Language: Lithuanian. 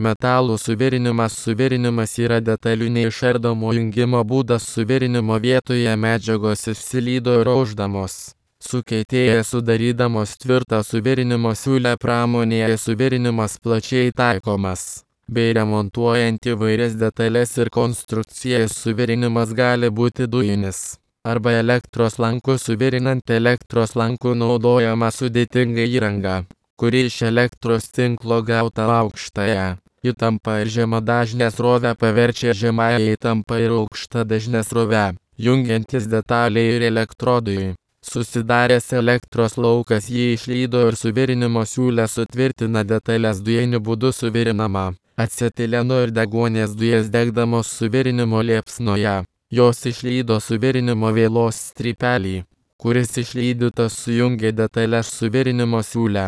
Metalų suvirinimas. Suvirinimas yra detalių neišardomo jungimo būdas. Suvirinimo vietoje medžiagos išsilydo ir aušdamos. Sukietėja sudarydamos tvirtą suvirinimo siūlę. Pramonėje suvirinimas plačiai taikomas. Bei remontuojant įvairias detalės ir konstrukcijas. Suvirinimas gali būti dujinis arba elektros lanku. Suvirinant elektros lanku naudojama sudėtinga įranga, kuri iš elektros tinklo gauta aukštąją įtampą ir žemadažnę srovę paverčia žemąją įtampą ir aukštą dažnę srovę, jungiantis detaliai ir elektrodui. Susidaręs elektros laukas jį išlydo ir suvirinimo siūlę sutvirtina detalės. Dujiniu būdu suvirinama acetileno ir deguonies dujas degdamos suvirinimo liepsnoje. Jos išlydo suvirinimo vėlos strypelį, kuris išlydytas sujungia detalės suvirinimo siūlę.